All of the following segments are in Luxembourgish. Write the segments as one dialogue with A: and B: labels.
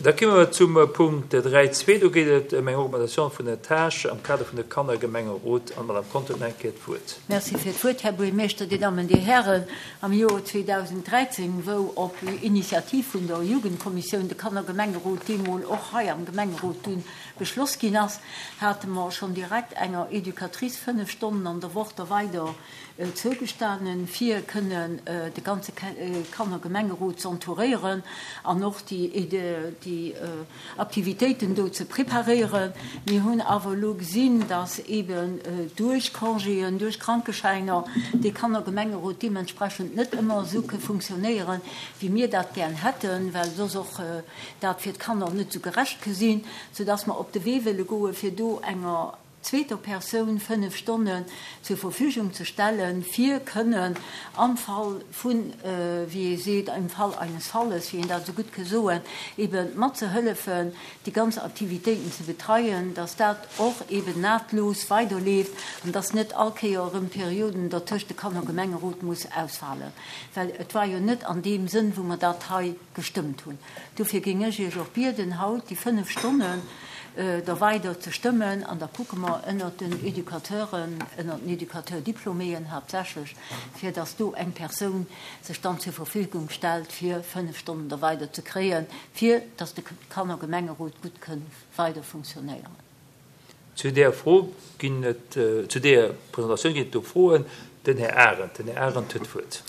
A: Da komme mer zum Punkt 3.2. Do geet et ëm eng Augmentatioun vun den Tâchen am Kader vun de Kannergemengerot. An d'Madame Conter huet nach eng Kéier d'Wuert.
B: Merci fir d'Wuert, Här Buergermeeschter, Dir Dammen, Dir Hären. Am Joer 2013, wou op Initiativ vun der Jugendkommissioun de Kannergemengerot deemol och hei am Gemengerot dunn beschloss ginn ass, hate mer schonn direkt enger Educatrice 5 Stonnen an der Woch da weider zougestanen, fir kënnen de ganze Kannergemengerot z'entouréieren an och déi Aktivitéiten do ze preparéieren. Mir hunn awer elo gesinn, dass eeben duerch Congéen, duerch Krankeschäiner dee Kannergemengerot deementsprechend net ëmmer esou ke funktionéieren, wéi mir dat gären hätten, well soss och dat fir d'Kanner net esou gerecht ke sinn, soudass mer op de Wee wëlle goen, fir do enger zweeter Persoun 5 Stonnen zur Verfügung ze stellen, fir kënnen am Fall vun, wéi ee seet, im Fall eines Falles, wéi een dat esou gutt ke soen, ebe matzehëllefen, déi ganz Aktivitéiten ze betreien, dass dat och eben nahtlos weiderleeft an dass net all Kéier erëm Perioden dertëscht de Kannergemengerot muss ausfalen. Well et war jo net an deem Sënn, wou mer dat hei gestëmmt hunn. Dofir géing ech Iech och bieden, haut déi 5 Stonnen da weider ze stëmmen an da kucke mer ënnert den Educateuren, ënnert den Educateur-diplôméen haaptsächlech, fir dass do eng Persoun sech dann zur Verfügung stellt, fir 5 Stonnen da weider ze kréien, fir dass de Kannergemengerot gutt kënn weider funktionéieren.
A: Zu där Fro ginn et, zu där Presentatioun ginn et do Froen. Den Här Arendt, den Här Arendt huet d'Wuert.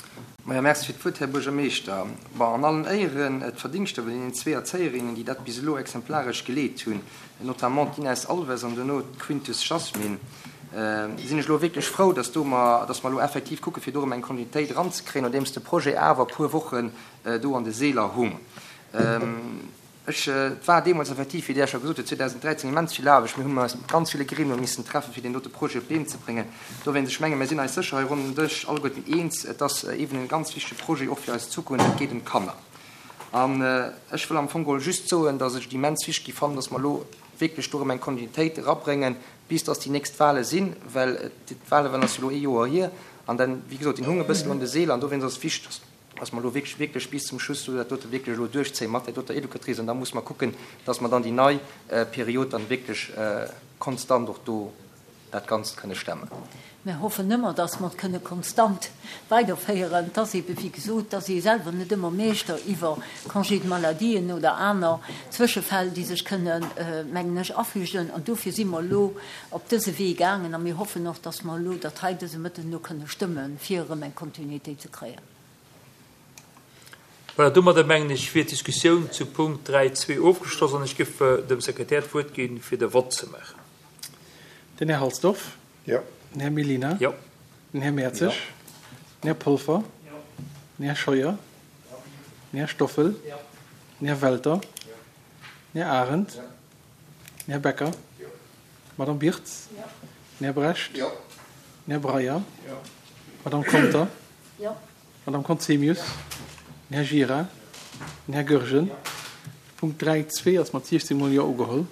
C: Majo, Merci fir d'Wuert, Här Buergermeeschter. Bon, an allen Éieren, d'Verdingschter vun deenen zwee Erzéierinnen, déi dat bis elo exemplaresch geleet hunn, notamment d'Inès Alves an duerno d'Quintus Jasmin, sinn ech elo wierklech frou, dass do mer, dass mer elo effektiv kucke fir do erëm eng Kontinuitéit eranzekréien, nodeems de Projet awer e puer Wochen do an de Seeler hung. Ech, et war deemools effektiv, wéi Der scho gesot hutt, 2013 immens vill Aarbecht. Mir hunn eis mat ganz ville Gremie missen treffen, fir deen dote Projet op d'Been ze bréngen. Dowéinst, ech menge mir sinn eis sécher hei ronderëm den Dësch alleguerten eens, et ass eeben e ganz wichtege Projet och fir eis Zukunft, et geet ëm d'Kanner. An ech wëll am Fong geholl just soen, dass ech et immens wichteg gi fannen, dass mer elo wierklech do erëm eng Kontinuitéit erabréngen, bis dass déi nächst Wahle sinn, well d'Wahle waren ass jo elo ee Joer hier an dann, wéi gesot, deen hung e bëssen un de Seeler an dowéinst ass et wichteg, dass. dass mer elo wierklech, wierklech bis zum Schluss do dat dote wierklech elo duerchzéie mat där doter Educatrice an da muss mer kucken, dass mer dann déi nei Period dann wierklech konstant och do dat Ganzt kënne stemmen.
B: Mir hoffen ëmmer, dass mer et kënne konstant weiderféieren. Et ass eebe wéi gesot, dass ee selwer net ëmmer Meeschter iwwer Congé de maladien oder aner Zwëschefäll, déi sech kënnen, mengen ech, afügen. An dofir si mer elo op dëse Wee gaangen a mir hoffen och, dass mer elo dat hei dëse Mëtten elo kënne stëmmen, fir erëm eng Kontinuitéit ze kréien.
A: Voilà, domadder mengen ech wier d'Diskussioun zu Punkt 3.2 ofgeschloss an ech géif dem Sekretär d'Wuert ginn, fir de Vott ze maachen.
D: Den Här Halsdorf.
E: Jo.
D: Den Här Mellina.
A: Jo.
D: Den Här Mertzig.
A: Jo.
D: Den Här Polfer.
A: Jo.
D: Den Här Scheuer.
A: Jo.
D: Den Här Stoffel.
A: Jo.
D: Den Här Welter.
A: Jo.
D: Den Här Arendt.
A: Jo.
D: Den Här Becker.
A: Jo.
D: D'Madame Birtz.
B: Jo.
D: Den Här Brecht.
A: Jo.
D: Den Här Breyer.
A: Jo.
D: D'Madame Conter.
B: Jo.
D: D'Madame Conzemius. Den Här Gira. Den Här Goergen. Punkt 3.2 ass mat 16 mol Jo ugeholl.